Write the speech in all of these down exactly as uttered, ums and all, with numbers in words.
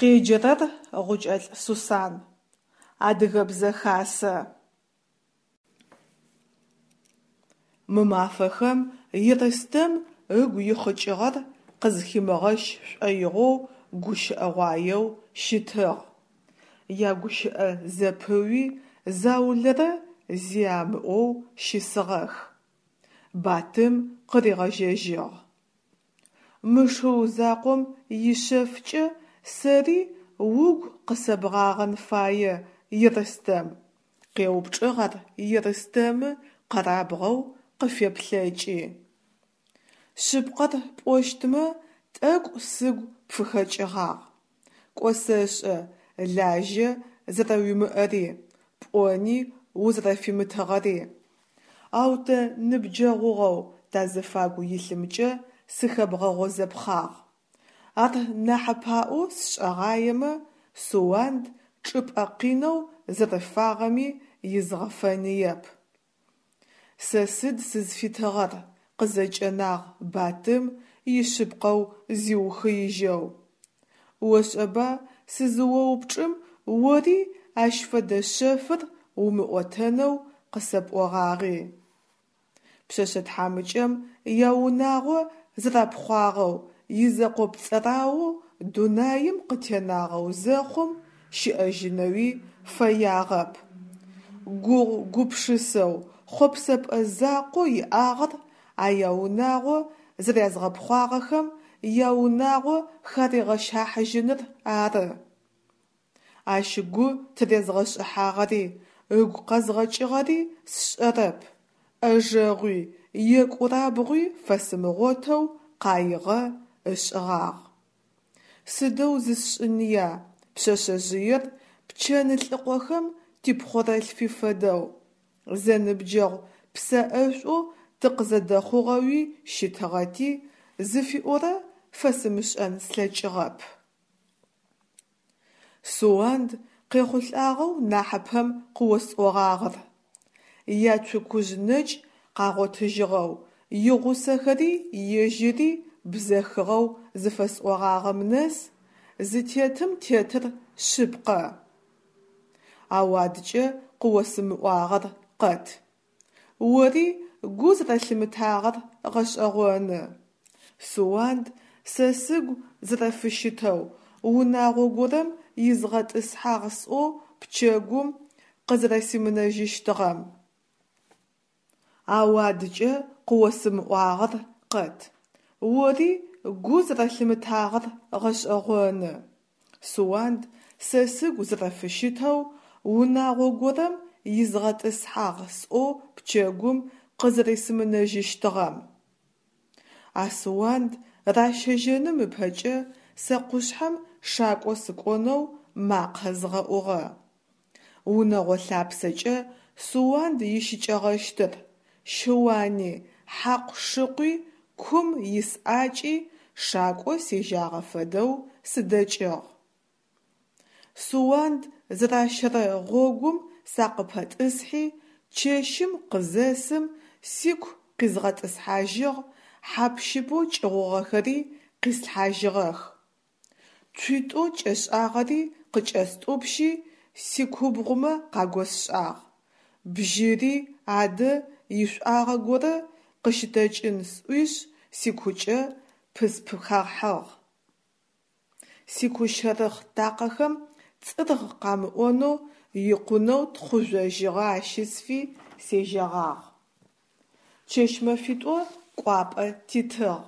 Къеджэрэр Гъукӏэлӏ Сусан. Адыгэбзэ хасэ. Мы мафэхэм Ерстэм ыгу ихъыкӏыгъэр къызхимыгъэщ шӏоигъоу гущыӏэгъуаеу щытыгъ. Ягущыӏэ зэпыуи, заулэрэ зи амыӏоу щысыгъэх. Батым къыригъэжьэжьыгъ: «Мы шыу закъом ишъэфкӏэ сэри угу къысэбгъагъэн фае, Ерстэм», – къеупчӏыгъ ар Ерстэмы къэрабгъэу къыфеплъэкӏи. Шъыпкъэр пӏощтмэ, тӏэкӏу сыгу пфыхэкӏыгъагъ. Кӏо сэшӏэ лажьэ зэрэуимыӏэри, пӏони узэрэфимытыгъэри. Ау тэ ныбджэгъугъэу тазыфагу илъымкӏэ сыхэбгъэгъозэпхъагъ. Ар нахьыпаӏоу сшӏэгъаемэ, Суанд чӏыпӏэ къинэу зэрыфагъэми изгъэфэныеп. Сэ сыд сызфитыгъэр, къызэкӏэнагъ Батым ишъыпкъэу зиухыижьэу. Ошӏэба сызыоупчӏым ори ащ фэдэ шъэфыр умыӏотэнэу къысэпӏогъагъи. Пшъэшъэ тхьамыкӏэм яунагъо зэрапхъуагъэу изэкъопцӏэраоу дунаим къытенагъэу зэхъум, щыӏэжьынэуи фэягъэп. Гугъу-гупшысэу, хъопсэпӏэ закъоу иӏагъэр а яунагъо зэрязгъэпхъуагъэхэм яунагъо харигъэщахьыжьыныр ары. Ащ гу тырезгъэшӏыхьагъэри, ыгу къэзгъэкӏыгъэри сшӏэрэп, ӏэжэгъуи, екӏурабгъуи фэсымыгъотэу къаигъэ ышӏыгъагъ. Сыдэу зысшӏыныя, пшъэшъэжъыер Пчэнлӏыкъохэм типхъорэлъфи фэдэу, зэныбджэгъу псэӏэшӏоу тыкъызэдэхъугъэуи щытыгъэти, зыфиӏорэ фэсымышӏэн слъэкӏыгъэп. Суанд къехъулӏагъэу нахьыпэм къыосӏогъагъэр, яцукужъ нэкӏ къагъотыжьыгъэу, игъусэхэри ежьыри бзэхыгъэу зыфэсӏогъагъэм нэс зытетым тетыр шъыпкъэ. Ау адкӏэ къыосымыӏуагъэр къэт. Ори гу зэрэлъымытагъэр гъэшӏэгъоны. Суанд сэ сыгу зэрэфыщытэу унагъо горэм изгъэтӏысхьагъ сӏоу пчэгум къызэрэсимынэжьыщтыгъэм. Ау адкӏэ къыосымыӏуагъэр къэт. Ори гу зэрэлъымытагъэр гъэшӏэгъоны. Суанд сэ сыгу зэрэфыщытэу унагъо горэм изгъэтӏысхьагъ сӏоу пчэгум къызэрэсимынэжьыщтыгъэм. А Суанд ращэжьэным ыпэкӏэ сэ къушъхьэм шакӏо сыкӏонэу макъэ згъэӏугъэ. Унэгъо лъапсэкӏэ Суанд ищыкӏэгъэщтыр, щыуани, хьакъу-шыкъуи, кум ис ӏакӏи шакӏо сежьагъэ фэдэу сыдэкӏыгъ. Суанд зэращэрэ гъогум сакъыпэтӏысхьи, чэщым къызэсым сику къизгъэтӏысхьажьыгъ, хьап-щыпэу кӏыгъугъэхэри къислъхьажьыгъэх. Цуитӏоу кӏэшӏагъэри къыкӏэстӏупщи сикубгъумэ къагосшӏагъ, бжьыри адэ ишӏуагъэ горэ къыщытэкӏын сӏуишъ сикукӏэ пыспхахьыгъ. Сикущэрыхъ такъэхэм цӏыргъ къамыӏонэу икъунэу тхъу жъожьыгъэ ащысфи сежьэгъагъ. Чэщ-мэфитӏо кӏуапӏэ титыгъ.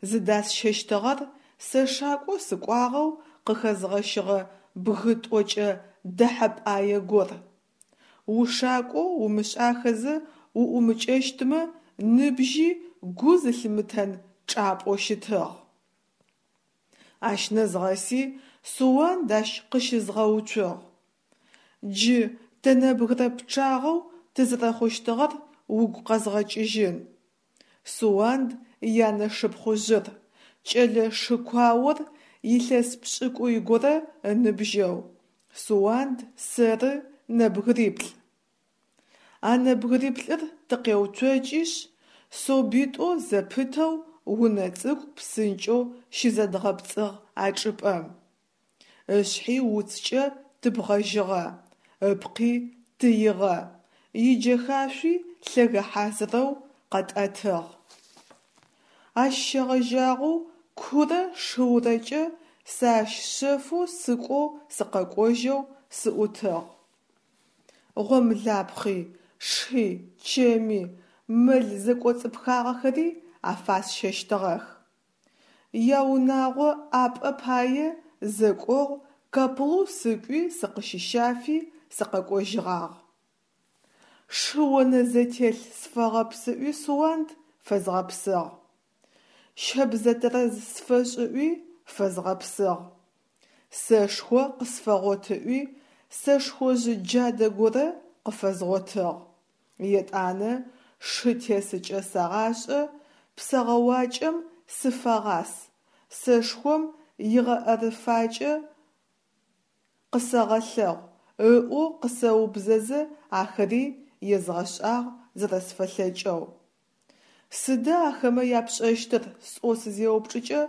Зыдасщэщтыгъэр сэ шакӏо сыкӏуагъэу къыхэзгъэщыгъэ бгы тӏокӏэ дэхьэпӏае гор. Ушакӏоу умышӏахэзэ уӏумыкӏэщтмэ ныбжьи гу зылъымытэн чӏапӏэу щытыгъ. Ащ нэзгъэси Суанд ащ къыщызгъэуцугъ. Джы тэ нэбгырэ пчъагъэу тызэрэхъущтыгъэр угу къэзгъэкӏыжьын: Суанд янэшыпхъужъыр, кӏэлэ шыкуаор илъэс пшӏыкӏуй горэ ыныбжьэу, Суанд, сэры нэбгыриплӏ. А нэбгыриплӏыр тыкъеуцокӏышъ, собитӏоу зэпытэу унэ цӏыкӏу псынкӏэу щызэдгъэпцӏыгъ а чӏыпӏэм. Ышъхьи уцкӏэ тыбгъэжьыгъэ, ыпкъи тыигъэ, иджэхашъуи лъэгэ хьазырэу къэтӏэтыгъ. Ащ щегъэжьагъэу курэ шыурэкӏэ сэ ащ шъэфэу сыкӏоу сыкъэкӏожьэу сыӏутыгъ. Гъомлапхъи, ши, чэми, мэл зэкӏоцӏыпхагъэхэри афасщэщтыгъэх. Яунагъо ӏапӏэ пае зэкӏогъу Каплу сыкӏуи сыкъыщищафи сыкъэкӏожьыгъагъ. Шы-онэзетелъ сфэгъэпс ыӏуи Суанд фэзгъэпсыгъ. Щэбзэ тэрэз сфэшӏ ыӏуи фэзгъэпсыгъ. Сэшхо къысфэгъот ыӏуи сэшхожъ джадэ горэ къыфэзгъотыгъ. Етӏанэ шы тесыкӏэ сэгъашӏэ, псэгъэуакӏэм сыфэгъас, сэшхом игъэӏэрыфакӏэ къысэгъэлъэгъу ыӏоу къысэубзэзэ ахэри езгъэшӏагъ зэрэсфэлъэкӏэу. Сыда ахэмэ япшӏэщтыр сӏоу сызеупчӏыкӏэ,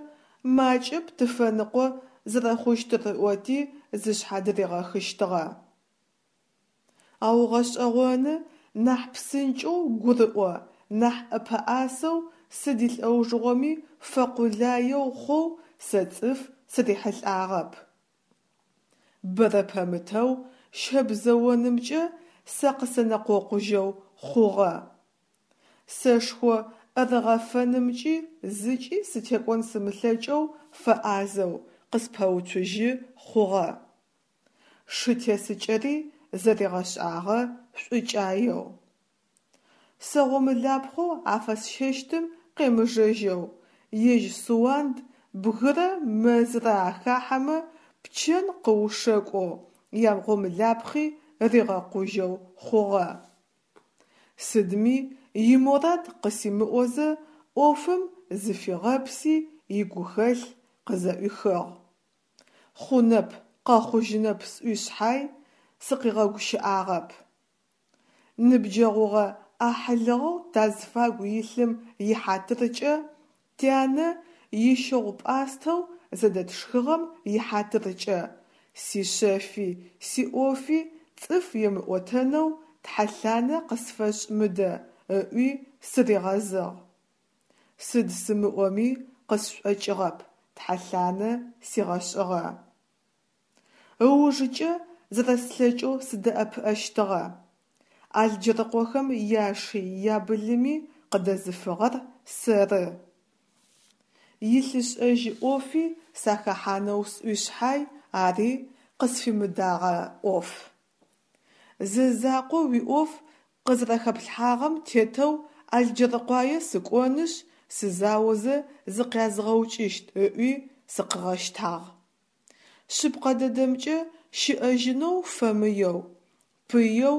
макӏэп тыфэныкъо зэрэхъущтыр ыӏоти зышъхьа дыригъэхыщтыгъэ. Ау гъэшӏэгъоны, нахь псынкӏэу гурыӏо, нахь ӏэпэӏасэу, сыд илӏэужыгъоми фэкъулаеу хъоу сэ цӏыф сырихьылӏагъэп. Бэрэ пэмытэу щэбзэонымкӏэ сэ къысэнэкъокъужьэу хъугъэ. Сэшхо ӏэрыгъэфэнымкӏи зыкӏи сытекӏон сымылъэкӏэу фэӏазэу къыспэуцужьы хъугъэ. Шы тесыкӏэри зэригъэшӏагъэ шӏукӏаеу. Сэ гъомылапхъэу афэсщэщтым къемыжэжьэу, ежь Суанд бгырэ мэзрэ ахахьэмэ пчэн къыушэкӏоу, ягъомылапхъи ригъэкъужьэу хъугъэ. Сыдми иморад къысимыӏозэ ӏофым зыфигъэпси игухэлъ къызэӏуихыгъ. Хъунэп, къэхъужьынэп сӏуи шъхьай, сыкъигъэгущыӏагъэп. Ныбджэгъугъэ-ӏахьылыгъэу тазфагу илъым ихьатыркӏэ, тянэ ищыгъу-пӏастэу зэдэтшхыгъэм ихьатыркӏэ, сишъэфи сиӏофи цӏыф емыӏотэнэу тхьэлъанэ къысфэшӏ мыдэ, ыӏуи сыригъэзыгъ. Сыд сымыӏоми къысшӏокӏыгъэп, тхьэлъанэ сигъэшӏыгъэ. Ыужыкӏэ зэрэслъэкӏэу сыдэӏэпыӏэщтыгъэ. Алджэрыкъохэм яши ябылыми къыдэзыфыгъэр сэры. Илъышӏэжь ӏофи сахэхьанэу сӏуи шъхьай, ари къысфимыдэгъэ ӏоф. Зэзакъо уиӏоф къызэрэхэплъхьагъэм тетэу Алджэркъуае сыкӏонышъ, сызаозэ зыкъязгъэукӏыщт ыӏуи сыкъыгъэщтагъ. Шъыпкъэ дэдэмкӏэ, щыӏэжьынэу фэмыеу, пыеу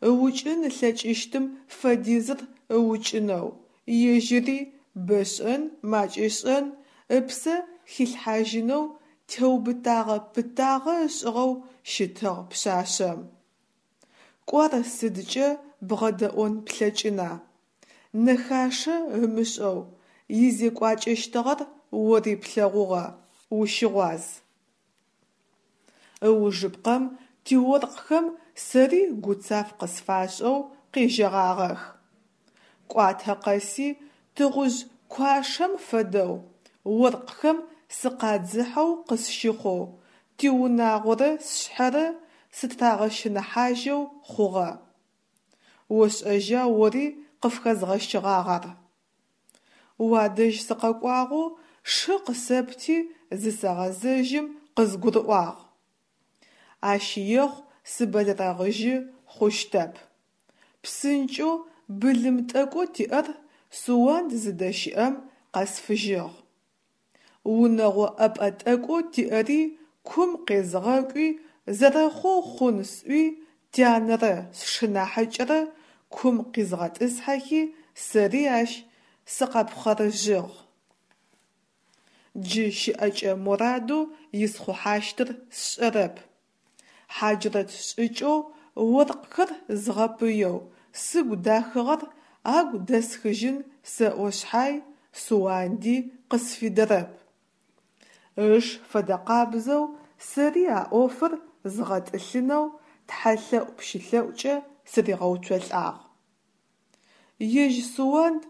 ыукӏын ылъэкӏыщтым фэдизыр ыукӏынэу, ежьыри, бэ шӏэн, макӏэ шӏэн, ыпсэ хилъхьажьынэу теубытагъэ пытагъэ ышӏыгъэу щытыгъ пшъашъэм. Кӏо ар сыдкӏэ бгъэдэӏон плъэкӏына, нэхашэ ымышӏэу изекӏуакӏэщтыгъэр ори плъэгъугъэ, ущыгъуаз. Ыужыпкъэм тиоркъхэм сэри гуцаф къысфашӏэу къежьэгъагъэх. Кӏуатэ къэси тыгъужъ куашэм фэдэу оркъхэм сыкъадзыхьэу къысщыхъоу, тиунагъорэ сшъхьэрэ сытырагъэщыныхьажьэу хъугъэ. Ошӏэжьа ори къыфхэзгъэщыгъагъ ар. Уадэжь сыкъэкӏуагъэу шы къысэпти зысэгъэзэжьым къызгурыӏуагъ. Ащ ехъу сыбэлэрэгъыжьы хъущтэп. Псынкӏэу былым тӏэкӏоу тиӏэр Суанд зыдэщыӏэм къэсфыжьыгъ. Унэгъо ӏэпӏэ тӏэкӏоу тиӏэри кум къезгъэкӏуи зэрэхъоу хъун сӏуи тянэрэ сшынахьыкӏэрэ кум къизгъэтӏысхьэхи сэри ащ сыкъэпхъэрыжьыгъ. Джы щыӏэкӏэ морадэу исхъухьащтыр сшӏэрэп. Хьаджрэт шӏыкӏэу оркъхэр згъэпыеу сыгу дахыгъэр агу дэсхыжьын сэӏо шъхьай, Суанди къысфидэрэп. Ыш фэдэкъабзэу сэри а ӏофыр згъэтӏылъынэу тхьэлъэӏу-пщылъэӏукӏэ сыригъэуцолӏагъ. Ежь Суанд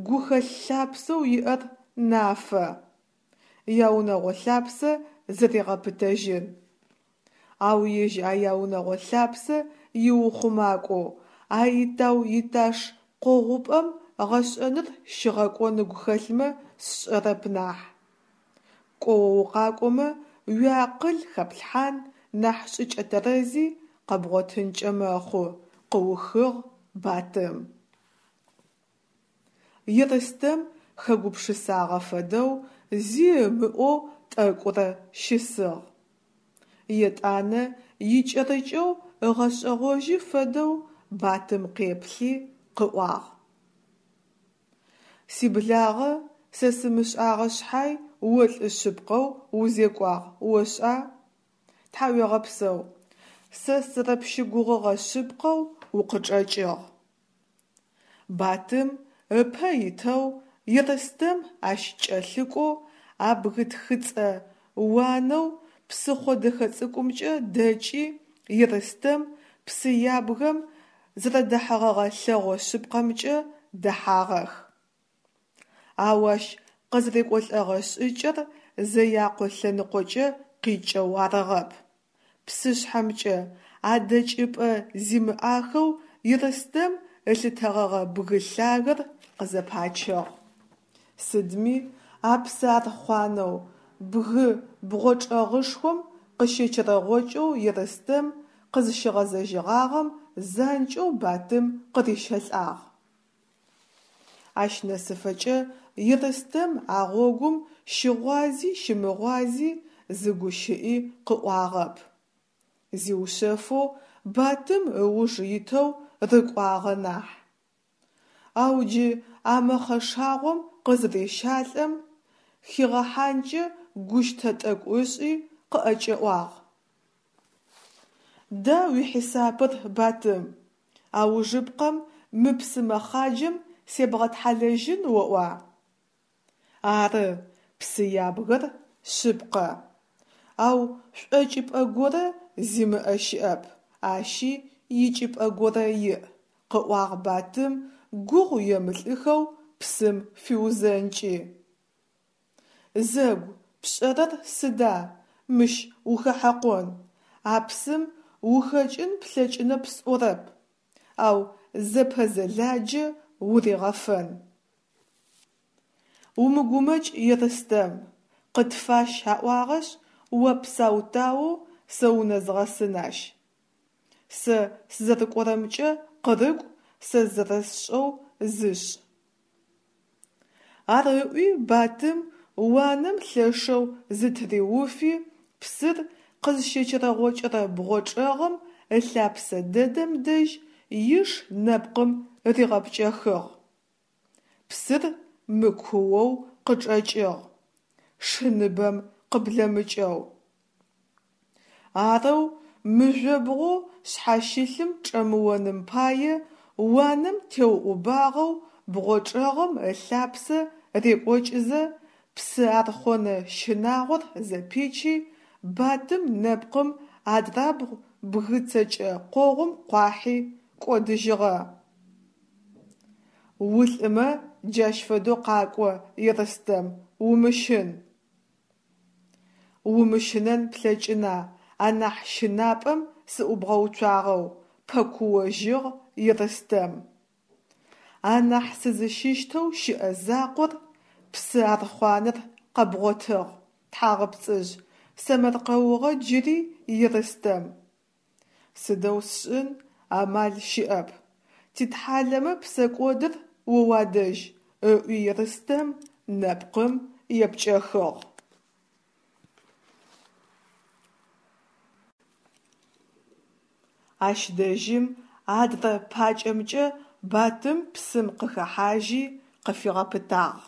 гухэлъ лъапсэу иӏэр нафэ: яунэгъо лъапсэ зэригъэпытэжьын. Ау ежь а яунэгъо лъапсэ иухъумакӏоу, а итау-иташ къогъупӏэм гъэшӏэныр щигъэкӏон ыгу хэлъмэ сшӏэрэп нахь. Кӏо укъакӏомэ, уиакъыл хэплъхьан, нахь шӏыкӏэ тэрэзи къэбгъотынкӏэ мэхъу, къыухыгъ Батым. Ерстэм хэгупшысагъэ фэдэу зи ымыӏоу тӏэкӏурэ щысыгъ. Етӏанэ икӏэрыкӏэу ыгъэшӏэгъожьы фэдэу Батым къеплъи, къыӏуагъ: Сиблагъэ, сэ сымышӏагъэ шъхьай, о лӏы шъыпкъэу узекӏуагъ, ошӏа? Тхьауегъэпсэу, сэ сызэрэпщыгугъыгъэ шъыпкъэу укъычӏэкӏыгъ. Батым ыпэ итэу, Ерстэм ащ кӏэлъыкӏоу а бгы тхыцӏэ уанэу псыхъо дэхэ цӏыкӏумкӏэ дэкӏи, Ерстэм псы ябгэм зэрэдэхьэгъэгъэ лъэгъо шъыпкъэмкӏэ дэхьагъэх. Ау ащ къызэрекӏолӏэгъэ шӏыкӏэр Зэякъо лъэныкъокӏэ къикӏэу арыгъэп, псышъхьэмкӏэ, а дэкӏыпӏэ зимыӏахэу Ерстэм ылъытэгъэгъэ бгы лъагэр къызэпачыгъ. Сыдми а псыархъуанэу бгы бгъочӏэгъышхом къыщечэрэгъокӏэу Ерстэм къызщигъэзэжьыгъагъэм занкӏэу Батым къырищэлӏагъ. Ащ нэсыфэкӏэ Ерстэм а гъогум щыгъуази щымыгъуази зы гущыӏи къыӏуагъэп. Зиушъэфэу Батым ыуж итэу рыкӏуагъэ нахь. Ау джы а мэхъэшагъом къызырещалӏэм, хигъэхьанкӏэ гущтэ тӏэкӏу ышӏи, къыӏэкӏэӏуагъ. Да уихьисапыр, Батым, аужыпкъэм мы псы мэхъаджэм себгъэтхьалэжьын оӏуа? Ары, псы ябгэр шъыпкъэ. Ау шӏокӏыпӏэ горэ зимыӏэ щыӏэп, ащи икӏыпӏэ горэ иӏ, къыӏуагъ Батым гугъу емылӏыхэу псым фиузэнкӏи. Зэгу, пшӏэрэр сыда, мыщ ухэхьэкъон, а псым ухэкӏын плъэкӏынэп сӏорэп, ау зэпэзэладжэ уригъэфэн. Умыгумэкӏ, Ерстэм, къытфащ аӏуагъэшъ, о псау-таоу сэ унэзгъэсын ащ. Сэ сызэрыкӏорэмкӏэ къырыкӏу, сэ зэрэсшӏэу зышӏ. Ар ыӏуи Батым уанэм лъэшэу зытыриуфи, псыр къызщечэрэгъокӏырэ бгъочӏэгъым ылъапсэ дэдэм дэжь иш нэпкъым ригъэпкӏэхыгъ. Псыр мыкуоу къычӏэкӏыгъ, шы ныбэм къыблэмыкӏэу. Арэу мыжъобгъоу шъхьащылъым чӏэмыоным пае уанэм теуӏубагъэу бгъочӏэгъым ылъапсэ рекӏокӏызэ, псы архъонэ щынагъор зэпичи, Батым нэпкъым адрабгъу бгы цэкӏэ къогъум къуахьи кӏодыжьыгъэ. Улӏымэ джащ фэдэу къакӏо, Ерстэм, умыщын. Умыщынэн плъэкӏына, анахь щынапӏэм сыӏубгъэуцуагъэу, пэкуожьыгъ Ерстэм. Анахь сызыщыщтэу щыӏэ закъор – псы архъуанэр къэбгъотыгъ, тхьагъэпцӏыжъ, сэмэркъэугъэ джыри Ерстэм. Сыдэу сшӏын, амал щыӏэп. Титхьалэмэ псэкӏодыр о уадэжь, ыӏуи Ерстэм нэпкъым епкӏэхыгъ. Ащ дэжьым адрэ пакӏэмкӏэ Батым псым къыхэхьажьи къыфигъэпытагъ: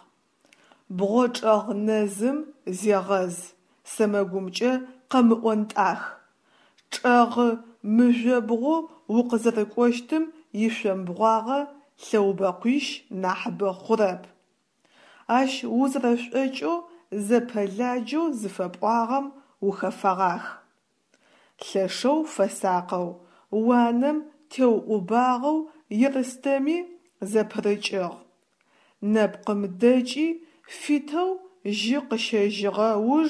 Бгъочӏэгъ нэзым зегъэз, сэмэгумкӏэ къэмыӏонтӏах, чӏэгъы мыжъобгъоу укъызэрыкӏощтым ишъомбгъуагъэ лъэубэкъуищ нахьыбэ хъурэп. Ащ узэрэшӏокӏэу зэпэладжэу зыфэпӏуагъэм ухэфэгъах. Лъэшэу фэсакъэу, уанэм теуӏубагъэу Ерстэми зэпырыкӏыгъ. Нэпкъым дэкӏи, фитэу жьы къыщэжьыгъэ уж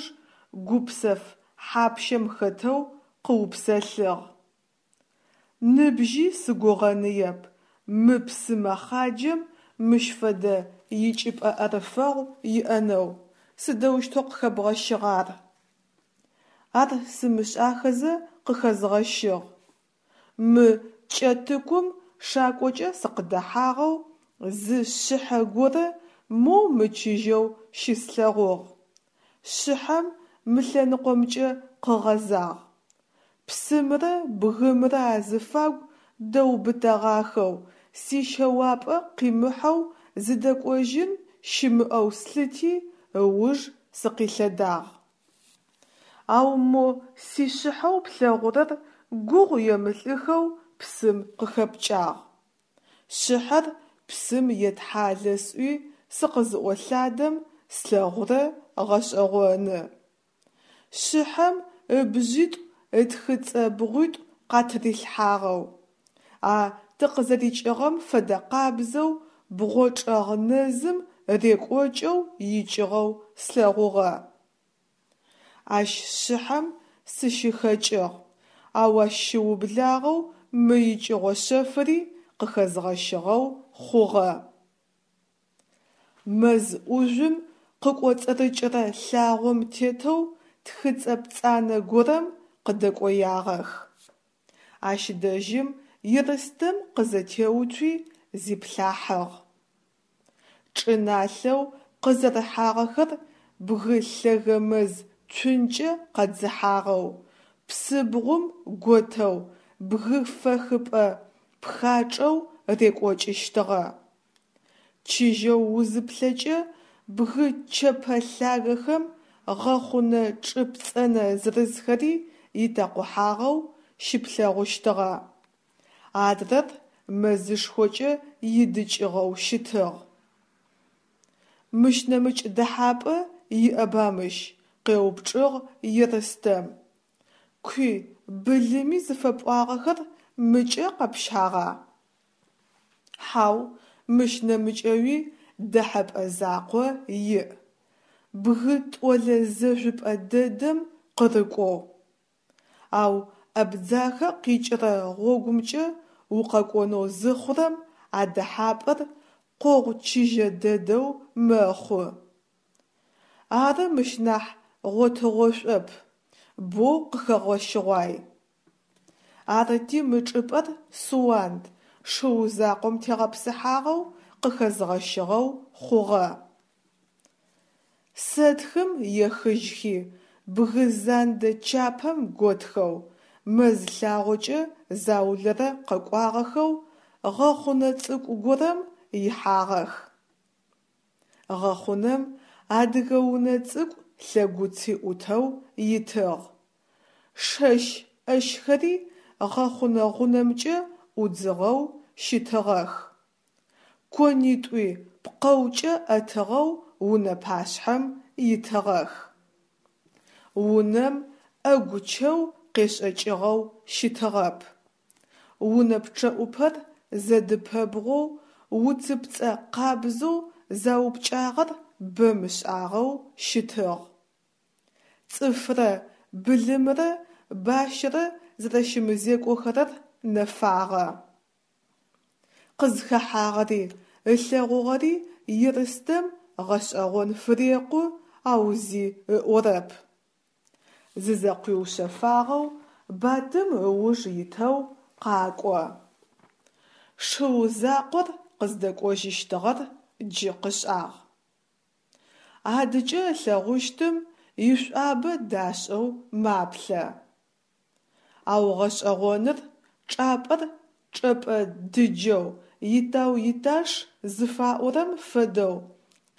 гупсэф хьапщэм хэтэу къыупсэлъыгъ: «Ныбжьи сыгугъэныеп мы псы мэхъаджэм мыщ фэдэ икӏыпӏэ ӏэрыфэгъу иӏэнэу, сыдэущтэу къыхэбгъэщыгъа ар?» Ар сымышӏахэзэ къыхэзгъэщыгъ. Мы Кӏэтыкум шакӏокӏэ сыкъыдэхьагъэу зы шъыхьэ горэ моу мычыжьэу щыслъэгъугъ. Шъыхьэм мы лъэныкъомкӏэ къыгъэзагъ. Псымрэ бгымрэ азыфагу дэубытэгъахэу, сищэуапӏэ къимыхьэу зыдэкӏожьын щымыӏэу слъыти, ыуж сыкъилъэдагъ. Ау мо сишъыхьэу плъэгъурэр гугъу емылӏыхэу псым къыхэпкӏагъ. Шъыхьэр псым етхьалэ сӏуи сыкъызыӏолъадэм слъэгъурэ гъэшӏэгъоны. Шъыхьэм ыбжъитӏу ытхыцӏэ бгъуитӏу къатырилъхьагъэу, а тыкъызэрикӏыгъэм фэдэкъабзэу бгъочӏэгъ нэзым рекӏокӏэу икӏыгъэу слъэгъугъэ. Ащ шъыхьэм сыщыхэкӏыгъ, ау ащ щыублагъэу мы икӏыгъо шъэфыри къыхэзгъэщыгъэу хъугъэ. Мэз ӏужъум къыкӏоцӏырыкӏырэ лъагъом тетэу тхыцӏэ пцӏанэ горэм къыдэкӏоягъэх. Ащ дэжьым Ерстэм къызэтеуцуи зиплъахьыгъ. Чӏыналъэу къызэрыхьагъэхэр бгы лъэгэ мэз цункӏэ къэдзыхьагъэу, псыбгъум готэу бгы фэхыпӏэ пхачӏэу рекӏокӏыщтыгъэ. Чыжьэу узыплъэкӏэ, бгы чэпэ лъагэхэм гъэхъунэ чӏы пцӏэнэ зырызхэри итэкъухьагъэу щыплъэгъущтыгъэ. Адрэр мэзышхокӏэ идыкӏыгъэу щытыгъ. «Мыщ нэмыкӏ дэхьапӏэ иӏэба мыщ?» – къеупчӏыгъ Ерстэм. «Куи, былыми зыфэпӏуагъэхэр мыкӏэ къэпщагъа?» Хьау, мыщ нэмыкӏэуи дэхьэпӏэ закъо иӏ: бгы тӏолэ зэжъупӏэ дэдэм къырыкӏоу. Ау Абдзахэ къикӏырэ гъогумкӏэ укъэкӏонэу зыхъурэм а дэхьапӏэр къогъу чыжьэ дэдэу мэхъу. Ары мыщ нахь гъотыгъошӏоп, боу къыхэгъэщыгъуай. Арыти мы чӏыпӏэр Суанд шыу закъом тегъэпсыхьагъэу къыхэзгъэщыгъэу хъугъэ. Сэтхым ехыжьхи, бгы зандэ чапэм готхэу, мэз лъагъокӏэ заулэрэ къэкӏуагъэхэу гъэхъунэ цӏыкӏу горэм ихьагъэх. Гъэхъунэм адыгэ унэ цӏыкӏу лъэгуци ӏутэу итыгъ. Шэщ ӏэщхэри гъэхъунэ гъунэмкӏэ ӏудзыгъэу щытыгъэх. Конитӏуи пкъэукӏэ ӏэтыгъэу унэ пашъхьэм итыгъэх. Унэм ӏэгу чэу къешӏэкӏыгъэу щытыгъэп. Унэ пчъэӏупэр зэдыпэбгъоу уцыпцӏэ къабзэу заупкӏагъэр бэ мышӏагъэу щытыгъ. Цӏыфрэ былымрэ бащэрэ зэрэщымызекӏохэрэр нэфагъэ. Къызхэхьагъэри, ылъэгъугъэри Ерстэм гъэшӏэгъон фырекъу, ау зи ыӏорэп. Зызэкъуиушъэфагъэу Батым ыуж итэу къакӏо. Шыу закъор къыздэкӏожьыщтыгъэр джы къышӏагъ. Адыкӏэ ылъэгъущтым ишӏуабэ дашӏэу маплъэ. Ау гъэшӏэгъоныр чӏапӏэр чӏэпӏэ дыджэу итау-иташ зыфаӏорэм фэдэу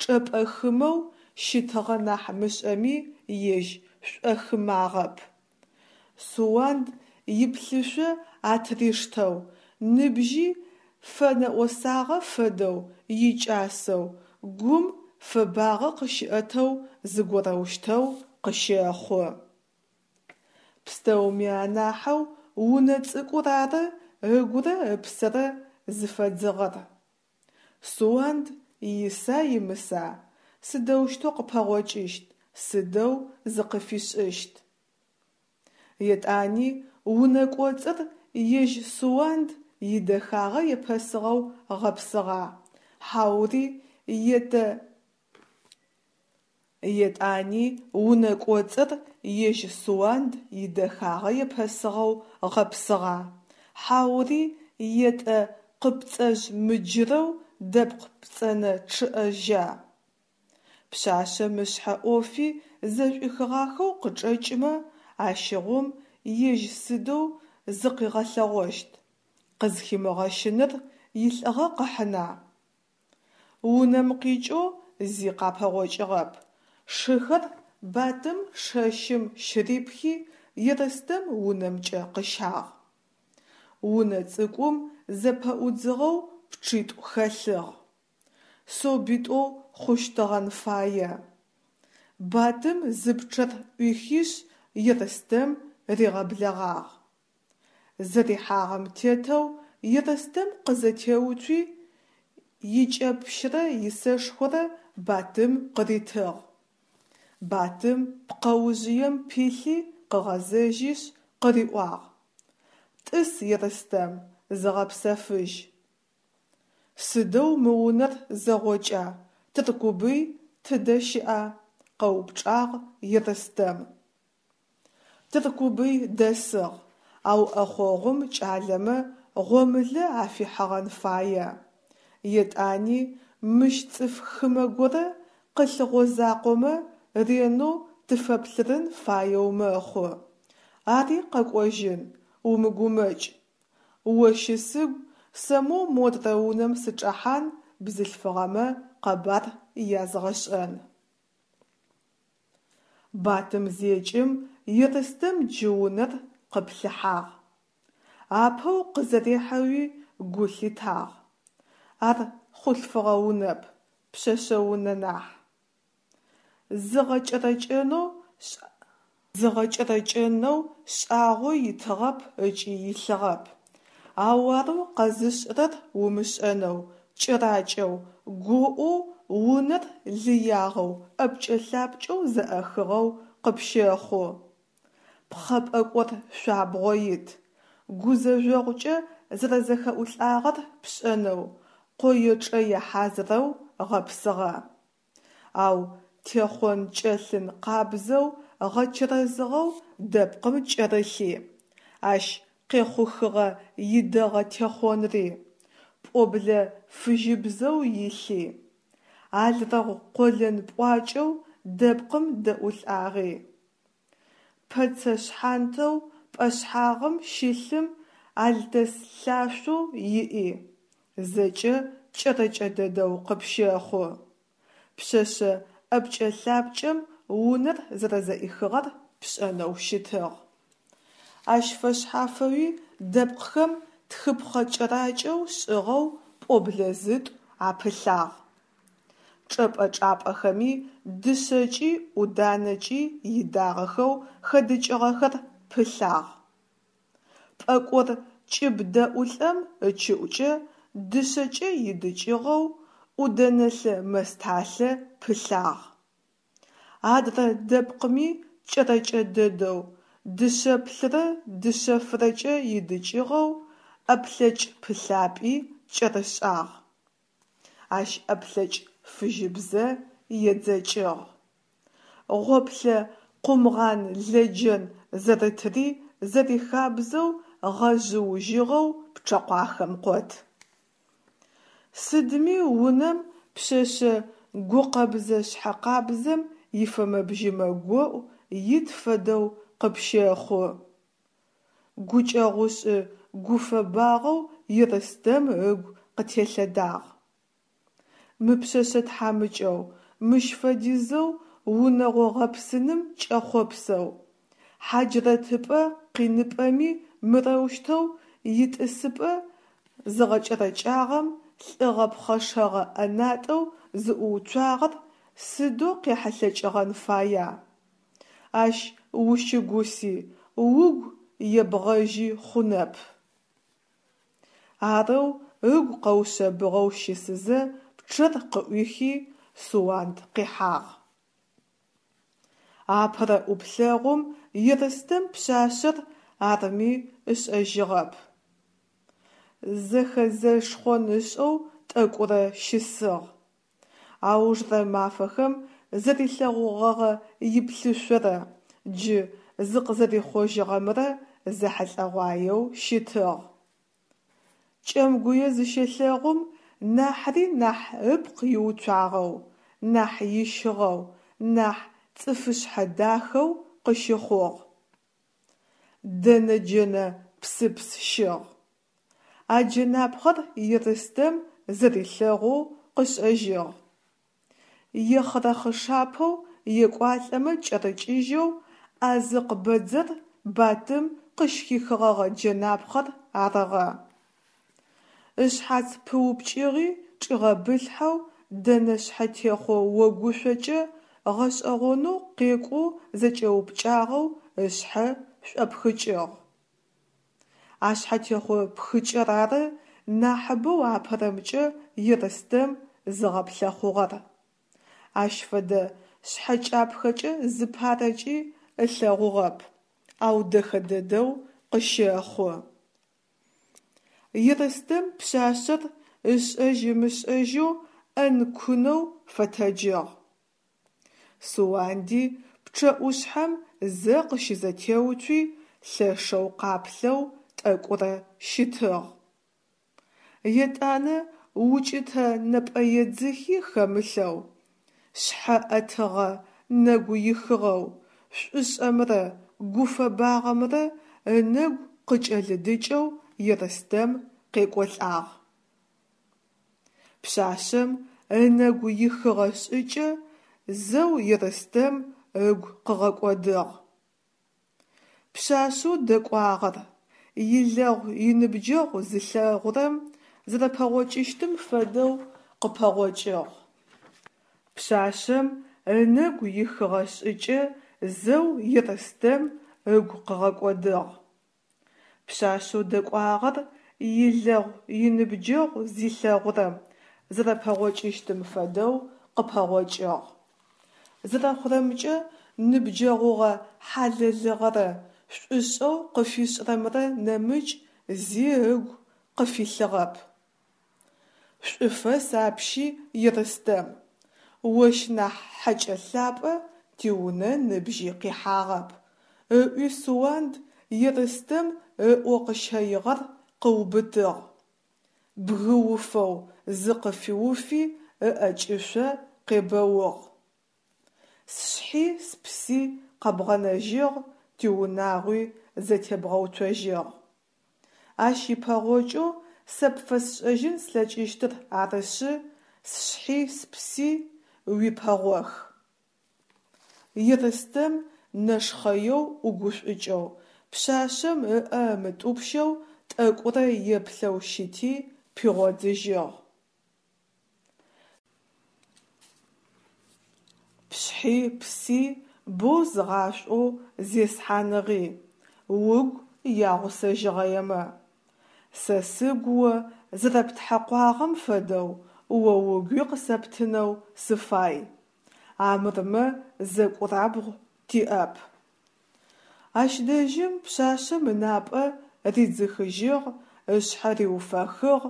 чӏэпӏэ хымэу щытыгъэ нахь мышӏэми ежь шӏохымагъэп. Суанд иплъышъо атыриштэу, ныбжьи фэнэӏосагъэ фэдэу икӏасэу, гум фэбагъэ къыщиӏэтэу зыгорэущтэу къыщэхъу. Пстэуми анахьэу унэ цӏыкӏур ары ыгурэ ыпсэрэ зыфэдзыгъэр. Суанд иса имыса, сыдэущтэу къыпэгъокӏыщт, сыдэу зыкъыфишӏыщт? Етӏани унэ кӏоцӏыр ежь Суанд идэхагъэ епэсыгъэу гъэпсыгъа, хьаури етэ Етӏани унэ кӏоцӏыр ежь Суанд идэхагъэ епэсыгъэу гъэпсыгъа, хьаури етӏэ къыпцӏэжъ мыджырэу дэпкъ пцӏэнэ чъыӏэжьа? Пшъашъэм ышъхьэ ӏофи зэшӏуихыгъахэу къычӏэкӏымэ, ащыгъум ежь сыдэу зыкъигъэлъэгъощт, къызхимыгъэщыныр илӏыгъэ къыхьына? Унэм къикӏэу зи къапэгъокӏыгъэп, шыхэр Батым шэщым щырипхи Ерстэм унэмкӏэ къыщагъ. Унэ цӏыкӏум зэпэӏудзыгъэу пчъитӏу хэлъыгъ. Собитӏоу хъущтыгъэн фае. Батым зы пчъэр ӏуихишъ Ерстэм ригъэблэгъагъ. Зэрихьагъэм тетэу Ерстэм къызэтеуцуи, икӏэпщрэ исэшхорэ Батым къыритыгъ. Батым пкъэужъыем пилъи къыгъэзэжьышъ къыриӏуагъ: «Тӏыс, Ерстэм, зыгъэпсэфыжь». Сыдэу мы унэр зэгъокӏа, Тыркубый тыдэ щыӏа? – къэупчӏагъ Ерстэм. Тыркубый дэсыгъ, ау ӏэхъогъум кӏалэмэ гъомылэ афихьыгъэн фае. Етӏани мыщ цӏыф хымэ горэ къылъыгъозакъомэ ренэу тыфэплъырын фаеу мэхъу. Ари къэкӏожьын, умыгумэкӏ. О щысыгу, сэ моу модрэ унэм сычӏэхьан, бзылъфыгъэмэ къэбар язгъэшӏэн. Батым зекӏым Ерстэм джы унэр къыплъыхьагъ. Апэу къызэрехьэуи гу лъитагъ: ар хъулъфыгъэ унэп, пшъэшъэ унэ нахь. Зыгъэкӏэрэкӏэнэу Зыгъэкӏэрэкӏэнэу шӏагъо итыгъэп ыкӏи илъыгъэп, ау арэу къэзышӏырэр умышӏэнэу, кӏэракӏэу, гоӏоу унэр лыягъэу ӏэпкӏэ-лъапкӏэу зэӏэхыгъэу къыпщэхъу. Пхъэ пӏэкӏор шъуабгъо ит, гузэжъогъукӏэ зэрэзэхэӏулӏагъэр пшӏэнэу, къое-чӏэе хьазырэу гъэпсыгъэ. Ау техъон-кӏэлъын къабзэу гъэчэрэзыгъэу дэпкъым кӏэрылъи, ащ къехъухыгъэ идэгъэ техъонри, пӏоблэ фыжьыбзэу илъи, алрэгъу къолэн пӏуакӏэу дэпкъым дэӏулӏагъи, пэцэ шъхьантэу пӏэшъхьагъым щылъым алтэс лъашъоу иӏи – зэкӏэ кӏэрэкӏэ дэдэу къыпщэхъу. Пшъэшъэ ӏэпкӏэ-лъапкӏэм унэр зэрэзэӏихыгъэр пшӏэнэу щытыгъ. Ащ фэшъхьафэуи дэпкъхэм тхыпхъэ кӏэракӏэу шӏыгъэу пӏоблэ зытӏу апылъагъ. Чӏэпӏэ-чӏапӏэхэми дышъэкӏи ӏуданэкӏи идагъэхэу хэдыкӏыгъэхэр пылъагъ. Пӏэкӏор кӏыб дэӏулӏэм ыкӏыӏукӏэ дышъэкӏэ идыкӏыгъэу ӏудэнэлъэ мэсталъэ пылъагъ. Адрэ дэпкъми кӏэрэкӏэ дэдэу, дышъэплъырэ дышъэфырэкӏэ идыкӏыгъэу ӏэплъэкӏ пылъапӏи кӏэрышӏагъ. Ащ ӏэплъэкӏ фыжьыбзэ едзэкӏыгъ. Гъоплъэ къумгъан-лэджэн зэрытыри зэрихабзэу гъэжъыужьыгъэу пчъэкъуахэм къот. Сыдми унэм пшъэшъэ гукъэбзэ-шъхьэкъабзэм ифэмэ-бжьымэ гоӏу ит фэдэу къыпщэхъу. Гукӏэгъушӏы-гуфэбагъэу Ерстэм ыгу къытелъэдагъ. Мы пшъэшъэ тхьамыкӏэу, мыщ фэдизэу унэгъо гъэпсыным кӏэхъопсэу, хьаджрэтыпӏэ къиныпӏэми мырэущтэу итӏысыпӏэ зыгъэкӏэрэкӏагъэм лӏыгъэ пхъэшэгъэ ӏэнатӏэу зыӏууцуагъэр сыдэу къехьылъэкӏыгъэн фая? Ащ ущыгуси, угу ебгъэжьи хъунэп. Арэу ыгу къэушъэбыгъэу щысызэ пчъэр къыӏуихи Суанд къихьагъ. Апэрэ ӏуплъэгъум Ерстэм пшъашъэр арми ышӏэжьыгъэп. Зэхэзэшхъон ышӏэу тӏэкӏурэ щысыгъ. Аужрэ мафэхэм зэрилъэгъугъэгъэ иплъышъорэ джы зыкъызэрихъожьыгъэмрэ зэхьылӏэгъуаеу щытыгъ. Кӏэмгуе зыщелъэгъум нахьри нахь ыпкъ иуцуагъэу, нахь ищыгъэу, нахь цӏыфышъхьэ дахэу къыщыхъугъ. Дэнэ джэнэ псыпс щыгъ. А джэнапхъэр Ерстэм зэрилъэгъоу къышӏэжьыгъ. Ехъырэхъышапэу екӏуалӏэмэ кӏэрыкӏыжьэу Ӏазыкъ бэдзэр Батым къыщыхихыгъэгъэ джэнапхъэр арыгъэ. Ышъхьац пыупкӏыгъи чӏигъэбылъхьэу дэнэ шъхьэтехъо огушъокӏэ гъэшӏэгъонэу къекӏоу зэкӏэупкӏагъэу ышъхьэ шӏопхыкӏыгъ. А шъхьэтехъо пхыкӏэр ары нахьыбэу апэрэмкӏэ Ерстэм зыгъэплъэхъугъэр. Ащ фэдэ шъхьэкӏапхэкӏэ зыпарэкӏи ылъэгъугъэп, ау дэхэ дэдэу къыщэхъу. Ерстэм пшъашъэр ышӏэжь-ымышӏэжьэу ӏэн-кунэу фэтэджыгъ. Суанди пчъэӏушъхьэм зэ къыщызэтеуцуи, лъэшэу къаплъэу тӏэкӏурэ щытыгъ. Етӏанэ укӏытэ нэпӏэедзыхи хэмылъэу, шъхьэ ӏэтыгъэ нэгу ихыгъэу, шӏушӏэмрэ гуфэбагъэмрэ ынэгу къыкӏэлыдыкӏэу Ерстэм къекӏолӏагъ. Пшъашъэм ынэгу ихыгъэ шӏыкӏэ зэу Ерстэм ыгу къыгъэкӏодыгъ. Пшъашъэу дэкӏуагъэр, илэгъу иныбджэгъу зилъэгъурэм зэрэпэгъокӏыщтым фэдэу къыпэгъокӏыгъ. Пшъашъэм ынэгу ихыгъэ шӏыкӏэ зэу Ерстэм ыгу къыгъэкӏодыгъ. Пшъашъэу дэкӏуагъэр, илэгъу иныбджэгъу зилъэгъурэм зэрэпэгъокӏыщтым фэдэу къыпэгъокӏыгъ. Зэрэхъурэмкӏэ, ныбджэгъугъэ хьалэлыгъэрэ шӏушӏэу къыфишӏырэмрэ нэмыкӏ зи ыгу къыфилъыгъэп. Шӏуфэс апщи, Ерстэм! Ощ нахь хьэкӏэ лъапӏэ тиунэ ныбжьи къихьагъэп, – ыӏуи Суанд, Ерстэм ыӏо къыщэигъэр къыубытыгъ, бгыуфэу зыкъыфиуфи ыӏэкӏышъо къебэугъ. Сшъхьи спси къэбгъэнэжьыгъ, тиунагъуи зэтебгъэуцожьыгъ. Ащ ипэгъокӏэу сэ пфэсшӏэжьын слъэкӏыщтыр арышъы, сшъхьи спси уипэгъох. Ерстэм нэшхъэеу ӏугушӏукӏэу, пшъашъэм ыӏэ ымытӏупщэу тӏэкӏурэ еплъэу щыти, пигъодзыжьыгъ. Пшъхьи пси боу згъашӏоу зесхьаныгъи, угу ягъусэжьыгъэемэ. Сэ сыгу о зэрэптхьэкъуагъэм фэдэу о угуи къысэптынэу сыфай. Амырмэ зэкӏурабгъу тиӏэп. Ащ дэжьым пшъашъэм ынапӏэ ридзыхыжьыгъ, ышъхьэ риуфэхыгъ,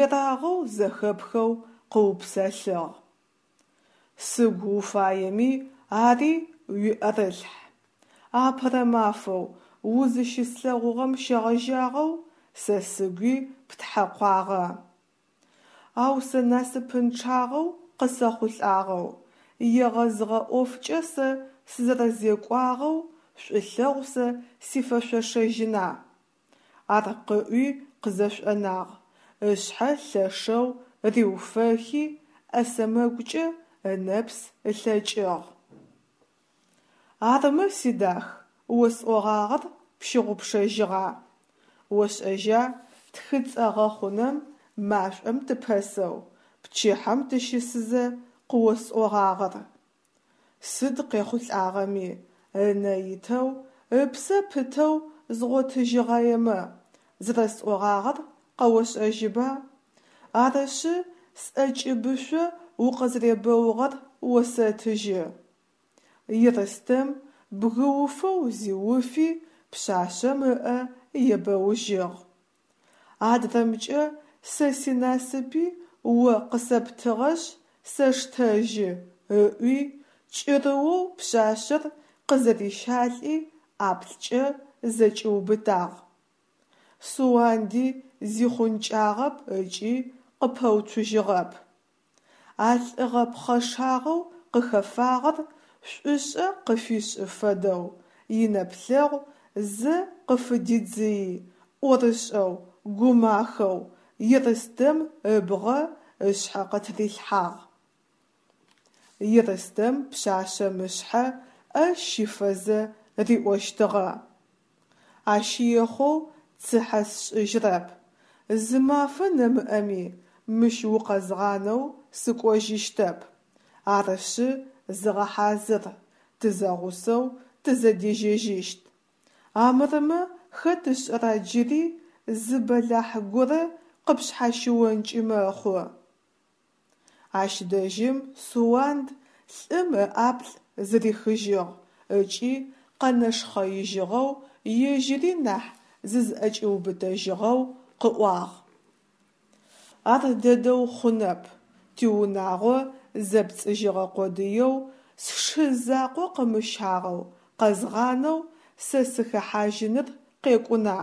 ерагъэу зэхэпхэу къыупсэлъыгъ: Сыгу уфаеми, ари уиӏэрылъхь. Апэрэ мафэу узыщыслъэгъугъэм щегъэжьагъэу сэ сыгуи птхьэкъуагъэ. Ау сэ насыпынчъагъэу къысэхъулӏагъэу, егъэзыгъэ ӏофкӏэ сэ сызэрэзекӏуагъэу шӏулъэгъу сэ сифэшъошэжьына? Ар къыӏуи къызэшӏонагъ, ышъхьэ лъэшэу риуфэхи, ӏэ сэмэгукӏэ ынэпс ылъэкӏыгъ. Армэ, сидах, осӏогъагъэр пщыгъупшэжьыгъа? Ошӏэжьа тхыцӏэ гъэхъунэм машӏом тыпэсэу, пчыхьэм тыщысызэ къыосӏогъагъэр? Сыд къехъулӏагъэми, ынэ итэу, ыпсэ пытэу згъотыжьыгъаемэ зэрэсӏогъагъэр къэошӏэжьыба? Арышъы, сӏэкӏыбышъо укъызэребэугъэр осэтыжьы. Ерстэм бгыуфэу зиуфи, пшъашъэм ыӏэ ебэужьыгъ. Адрэмкӏэ сэ синасыпи о къысэптыгъэшъ сэштэжьы, ыӏуи, кӏырыоу пшъашъэр къызэрищалӏи ӏаплӏкӏэ зэкӏиубытагъ. Суанди зихъункӏагъэп ыкӏи къыпэуцужьыгъэп. А лӏыгъэ пхъэшагъэу къыхэфагъэр шӏушӏэ къыфишӏы фэдэу инэплъэгъу зэ къыфыдидзыйи, ӏорышӏэу, гумахэу Ерстэм ыбгъэ ышъхьэ къытырилъхьагъ. Ерстэм пшъашъэм ышъхьэ ӏэ щифэзэ риӏощтыгъэ: «Ащ ехъоу цыхьэ сшӏыжьырэп, зы мафэ нэмыӏэми мыщ укъэзгъанэу сыкӏожьыщтэп, арышъы зыгъэхьазыр, тызэгъусэу тызэдежьэжьыщт. Армырмэ хэт ышӏэра джыри зы бэлахь горэ къыпшъхьащыонкӏи мэхъу». Ащ дэжьым Суанд лӏым ыӏаплӏ зырихыжьыгъ ыкӏи къэнэшхъэижьыгъэу, ежьыри нахь зызӏэкӏиубытэжьыгъэу къыӏуагъ: «Ар дэдэу хъунэп, тиунагъо зэпцӏыжьыгъэ къодыеу сшы закъо къымыщагъэу къэзгъанэу сэ сыхэхьажьыныр къекӏуна,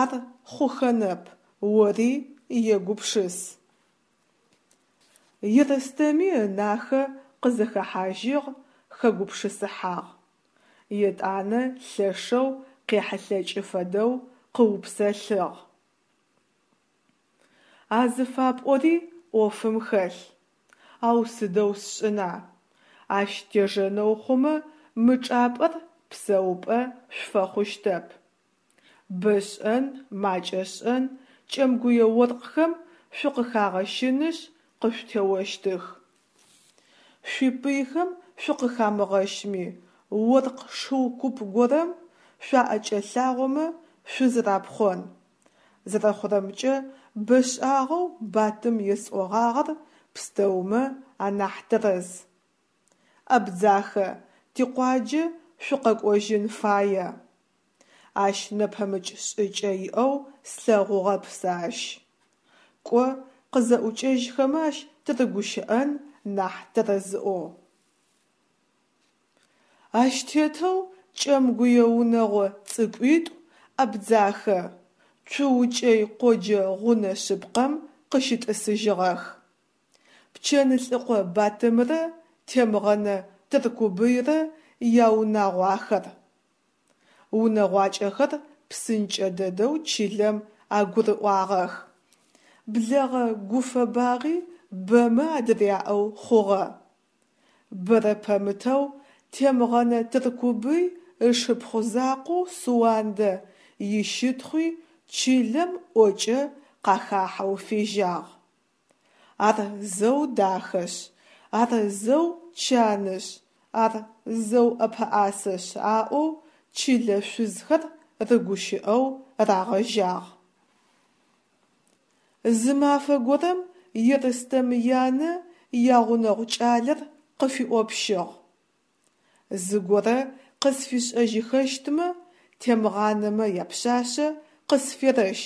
ар хъухэнэп, ори егупшыс». Ерстэми ынахэ къызэхэхьажьыгъ, хэгупшысыхьагъ. Етӏанэ лъэшэу къехьылъэкӏы фэдэу къыупсэлъыгъ: «А зыфапӏори ӏофым хэлъ, ау сыдэу сшӏына, ащ тежэнэу хъумэ мы чӏапӏэр псэупӏэ шъуфэхъущтэп. Бэ шӏэн, макӏэ шӏэн кӏэмгуе оркъхэм шъукъыхагъэщынышъ къышъутеощтых. Шъуипыйхэм шъукъыхамыгъэщми, оркъ шыу куп горэм шъуаӏэкӏэлъагъомэ шъузэрапхъон. Зэрэхъурэмкӏэ, бэшӏагъэу Батым есӏогъагъэр пстэумэ анахь тэрэз. Абдзахэ, тикъуаджэ шъукъэкӏожьын фае. Ащ нэпэмыкӏ шӏыкӏэ иӏэу слъэгъугъэп сэ ащ. Кӏо, къызэӏукӏэжьхэмэ ащ тырыгущыӏэн нахь тэрэзыӏоу». Ащ тетэу кӏэмгуе унэгъо цӏыкӏуитӏу Абдзахэ, Цуукӏэй къоджэ гъунэ шъыпкъэм къыщытӏысыжьыгъэх. Пчэнлӏыкъо Батымрэ Темгъэнэ Тыркубыйрэ яунагъу ахэр. Унэгъуакӏэхэр псынкӏэ дэдэу чылэм агурыӏуагъэх. Блэгъэ гуфэбагъи бэмэ адыряӏэу хъугъэ. Бэрэ пэмытэу Темгъэнэ Тыркубый ышыпхъу закъоу Суандэ ищытхъуи чылэм ӏокӏэ къахахьэу фежьагъ. Ар зэу дахэшъ, ар зэу чанышъ, ар зэу ӏэпэӏасэшъ аӏоу чылэ шъузхэр рыгущыӏэу рагъэжьагъ. Зы мафэ горэм Ерстэм янэ ягъунэгъу кӏалэр къыфиӏопщыгъ: «Зыгорэ къысфишӏэжьыхэщтмэ Темгъанэмэ япшъашъэ къысферэщ»,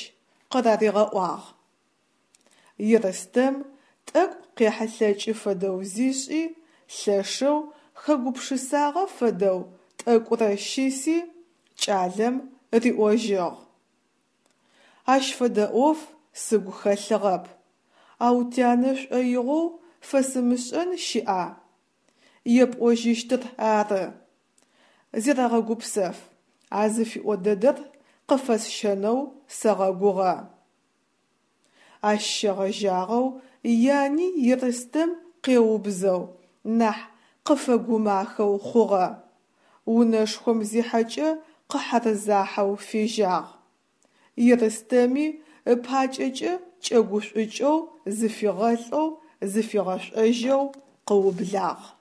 къыраригъэӏуагъ. Ерстэм тӏэкӏу къехьылъэкӏы фэдэу зишӏи, лъэшэу хэгупшысагъэ фэдэу тӏэкӏурэ щыси, кӏалэм риӏожьыгъ: «Ащ фэдэ ӏоф сыгу хэлъыгъэп, ау тянэ шӏоигъоу фэсымышӏэн щыӏа? Епӏожьыщтыр ары. Зерэгъэгупсэф, а зыфиӏо дэдэр къыфэсщэнэу сэгъэгугъэ». Ащ щегъэжьагъэу яни Ерстэм къеубзэу, нахь къыфэгумахэу хъугъэ. Унэшхом зихьэкӏэ къыхьэрзахьэу фежьагъ. Ерстэми ыпакӏэкӏэ кӏэгушӏукӏэу зыфигъэлӏэу, зыфигъэшӏожьэу къыублагъ.